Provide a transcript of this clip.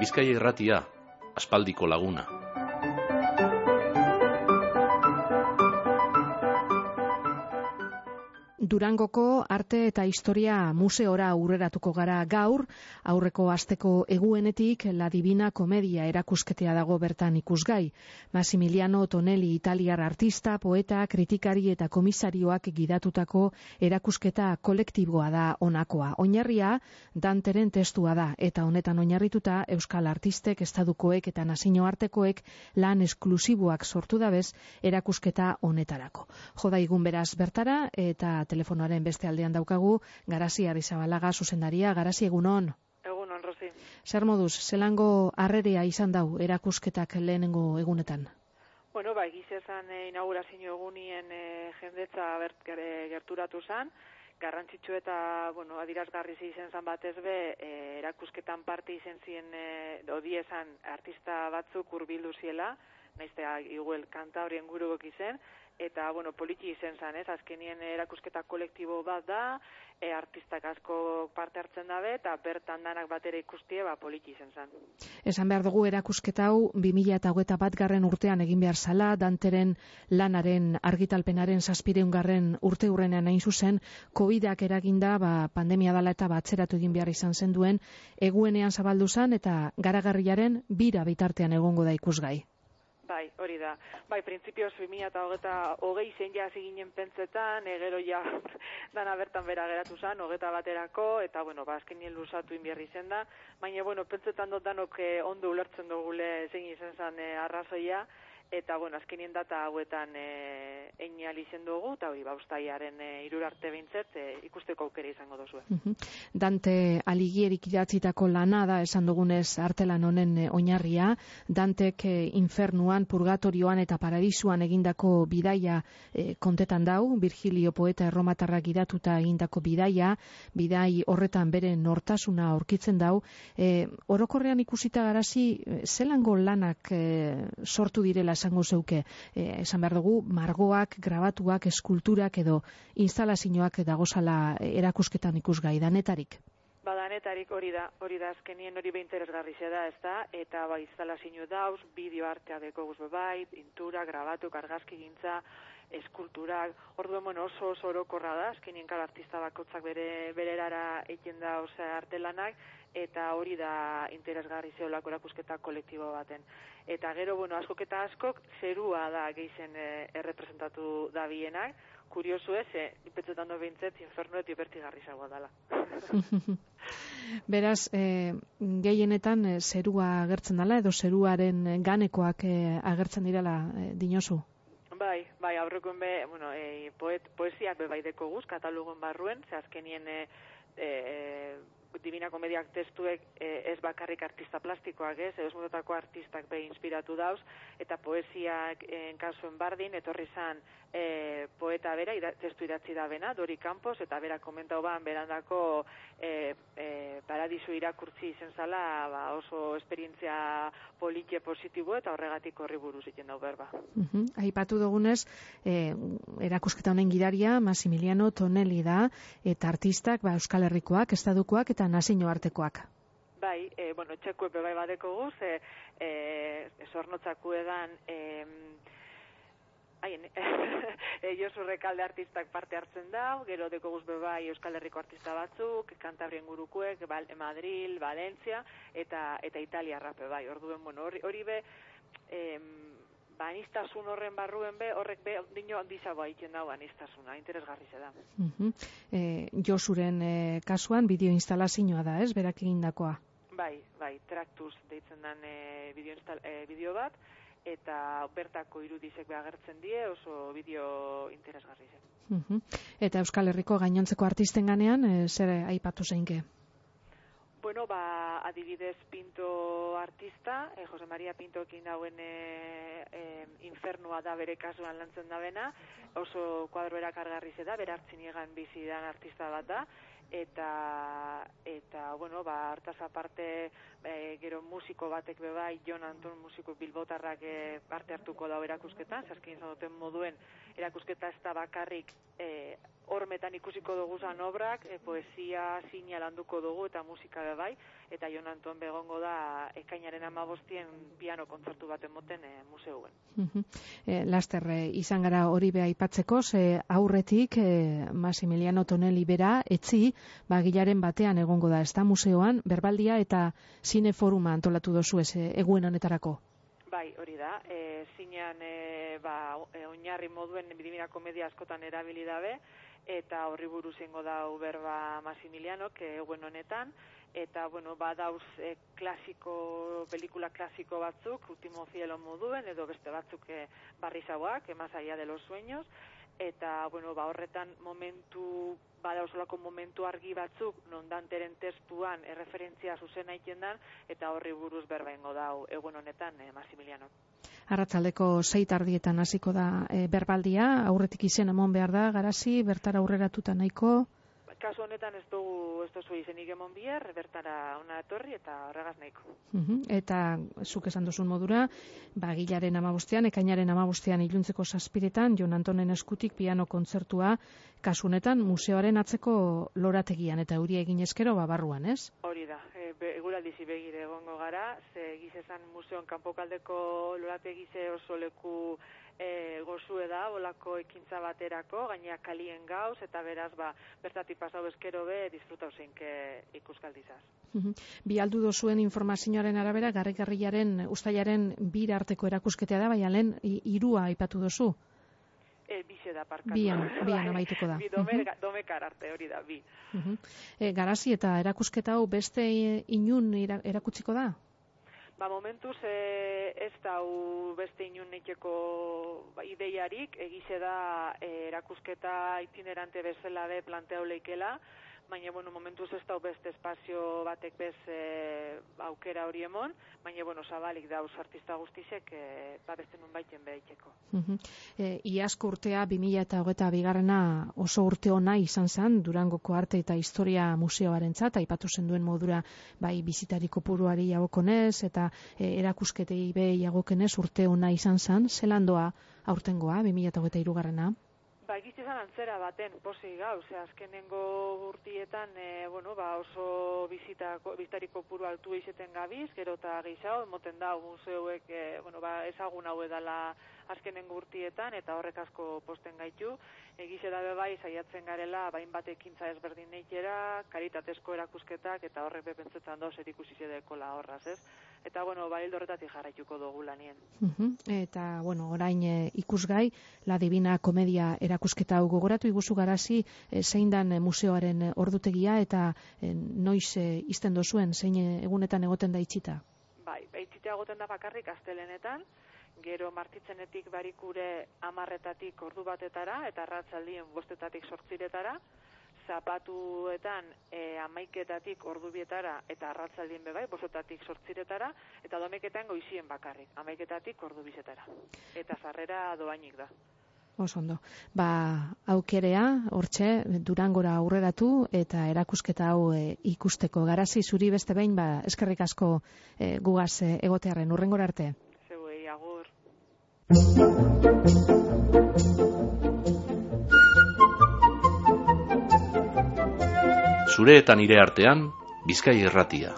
Bizkaia Irratia, aspaldiko laguna. Durangoko arte eta historia museora aurreratuko gara gaur, aurreko asteko eguenetik La Divina Komedia erakusketea dago bertan ikusgai. Massimiliano Tonelli italiar artista, poeta, kritikari eta komisarioak gidatutako erakusketa kolektiboa da honakoa. Oinarria Danteren testua da eta honetan oinarrituta euskal artistek, estadukoek eta nazioartekoek lan esklusiboak sortu dabez erakusketa honetarako. Joda igun beraz bertara eta telefonoaren beste aldean daukagu Garasi Arrizabalaga zuzendaria. Garasi, egunon. Egunon, Rosi. Zer moduz, zelango harrerea izan dau erakusketak lehenengo egunetan? Bueno, egiz esan inaugurazio egunien jendetza gerturatu zan, garrantzitsu eta, adirazgarri izen zan batez be, erakusketan parte izen ziren, odiezan artista batzuk hurbildu ziela, naiztea iguel kanta horien gurugok izen, eta, poliki izen zan, azkenien erakusketa kolektibo bat da, artistak asko parte hartzen dabe, eta bertan danak batera ikustie, poliki izen zan. Esan behar dugu erakusketa hau 2021 urtean egin behar zala, Danteren lanaren argitalpenaren 700. urte hurrenean hain zuzen, COVID-ak eraginda, pandemia dala eta atzeratu egin behar izan zen duen, eguenean zabaldu zan, eta garagarriaren bira bitartean egongo da ikusgai. Bai, hori da. Bai, printzipioz 2020 zen ja ziginen pentsetan, gero ja dana bertan bera geratu zen, 21 eta, azkenien luzatu inbierri zen da, baina, pentsetan dut danok ondo ulertzen dugule zein izen zen arrazoia, eta, azkenien data hauetan einial izen dugu, eta hori, ustaiaren 3 arte behintzet ikusteko aukera izango dozue. Dante Aligierik idatzitako lana da, esan dugunez artelan honen oinarria, Dantek infernuan, purgatorioan eta paradisuan egindako bidaia kontetan dau, Virgilio poeta erromatarrak idatuta egindako bidai horretan bere nortasuna aurkitzen dau. Orokorrean ikusita Garasi, zelango lanak sortu direla esango zeuke, esan behar dugu, margoak, grabatuak, eskulturak edo instalazioak dagozala erakusketan ikusgai, danetarik? Danetarik hori da azkenien hori interesgarri da, ezta, eta instalazio dauz, bideo artea deko guzbe bai, pintura, grabatu, argazki gintza, eskulturak, orduen oso orokorra da, azkenien kal artista bakotzak bere erara egin da artelanak, eta hori da interesgarri zeolako erakusketa kolektibo baten. Eta gero, askok eta askok, zerua da gehizen errepresentatu da bienak, kuriosu ez, ipetzetan do behintzet, infernu eta hipertigarri zagoa dela. Beraz, gehienetan zerua agertzen dela, edo zeruaren ganekoak agertzen direla dinosu? Bai, aurrekoen poesiak bai deko guz, katalogon barruen, ze azkenien Divina Komediak testuek ez bakarrik artista plastikoak ez mototako artistak inspiratu dauz, eta poesiak kasuen bardin, etorri zan poeta bera, testu idatzi da bena, Dori Campos, eta bera komentau berandako paradisu irakurtzi izen zala, oso esperientzia politxe positibo, eta horregatik horri buruz iten dau berba. Aipatu dugunez, erakusketa honen gidaria Massimiliano Tonelli da, eta artistak Euskal Herrikoak, estadukoak eta nazioartekoak. Bai, txekue bai badeko guz, zornotzako edan Josu Rekalde artistak parte hartzen da, gero deko guz bai Euskal Herriko artista batzuk, Kantabrien gurukuek, Madril, Valencia, eta Italia rape bai. Orduen, hori be, aniztasun horren barruen be, horrek be, dino handizagoa egiten dago aniztasuna, interesgarri zeda. Josuren kasuan, bideo instalazioa da, ez, berak egindakoa? Bai, Tractus deitzen den bideo bat, eta bertako irudizek agertzen die, oso bideo interesgarri zen. Eta Euskal Herriko gainontzeko artisten ganean, zer aipatu zeinke? Adibidez Pinto artista, Jose Maria Pinto ekin dauen infernua da bere kasuan lantzen da bena, oso kuadroera kargarri da, bere hartzin egan bizidan artista bat da, eta hartaz aparte gero musiko batek bebai, Jon Anton musiko bilbotarrak parte hartuko da erakusketan, zaskin izan duten moduen erakusketa ez da bakarrik hormetan ikusiko dugu zan obrak, poesia zina landuko dugu eta musika bai, eta Jon Anton begongo da ekainaren 15 piano kontzertu baten moten museuen. Laster izan gara hori beha aipatzeko, aurretik Massimiliano Tonelli bera etzi, bagilaren batean egongo da, ez da museoan, berbaldia eta zineforuma antolatu dozu ez eguen honetarako. Bai, hori da, zinean oinarri moduen Divina Komedia askotan erabili dabe, eta horri buruz ingo da berba Massimilianok eguen honetan, eta, badauz pelikula klasiko batzuk, Ultimo Cielo moduen, edo beste batzuk barrizauak, Más allá de los sueños, eta, horretan badausolako momentu argi batzuk, non Danteren testuan erreferentzia zuzen aiten dan, eta horri buruz berba ingo da egun honetan Massimilianok. Arratsaldeko 6:00 hasiko da berbaldia, aurretik izen emon behar da, Garazi, bertara aurreratuta nahiko? Kasu honetan ez duzu izenik emon bihar, bertara ona etorri eta horregaz nahiko. Eta zuk esan duzun modura, bagilaren 15, ekainaren 15 iluntzeko 7:00 Jon Antonen eskutik piano kontzertua, kasu honetan museoaren atzeko lorategian, eta euria egin eskero barruan, ez? Hori da, eguraldizi begire egongo gara, ze gizezan museoan kanpokaldeko lorategize oso leku gozue da, bolako ekintza baterako, gaina kalien gauz, eta beraz, bertatik pasau eskero be, disfrutau zeinke ikuskaldizaz. Bi aldu dozuen informazioaren arabera, garrigarriaren, ustailaren 2 arteko erakusketea da, baina lehen 3 aipatu dozu? Bize da parkatu. Bian amaituko da. Domekar arte, hori da, bi. Garazi eta erakusketa hau beste inun erakutsiko da? Momentuz ez da beste inun neiteko ideiarik, egize da erakusketa itinerante bezala be planteau leikela, baina, momentuz ez da beste espazio batek bez aukera hori emon, baina, zabalik dauz artista guztizek beste nun baiten behaiteko. Iazko urtea 2022 oso urte ona izan zen, Durangoko arte eta historia museoarentzat, aipatu zenduen modura bai bizitari kopuruari jagokonez, eta erakusketei be jagokenez urte ona izan zen, zelandoa aurtengoa, 2023 Egizizan antzera baten posi gauz, azkenengo urtietan oso bizitari kopuru altu izeten gabiz, gero eta gehiago, emoten da museuek ezagun hau edala azkenengo urtietan, eta horrek asko posten gaitu. Egize dabe bai, saiatzen garela, hainbat ekintza ezberdin neitera, karitatezko erakusketak, eta horrek bepentzetan dauz erikusizedekola horraz, ez? Eta, hildo horretatik jarraituko dugu lanien. Eta, orain ikusgai, La Divina Komedia erakusketa hau gogoratu iguzu Garazi, zein dan museoaren ordutegia, eta noiz izten dozuen, zein egunetan egoten da itxita? Bai, itxita egoten da bakarrik astelenetan, gero martitzenetik barikure 10:00 ordu batetara, eta arratsaldien 5:00 8:00 zapatuetan 11:00 ordu bietara, eta arratsaldien bebai 5:00 8:00, eta domeketan goizien bakarrik, 11:00 ordu 2:00. Eta sarrera doainik da. Oso ondo. Aukerea, hortxe, Durangora aurreratu, eta erakusketa hau ikusteko. Garazi, zuri beste behin, eskerrik asko gugaz egotearren, hurrengora arte. Zeuei, agur. Zure eta nire artean, Bizkai Irratia.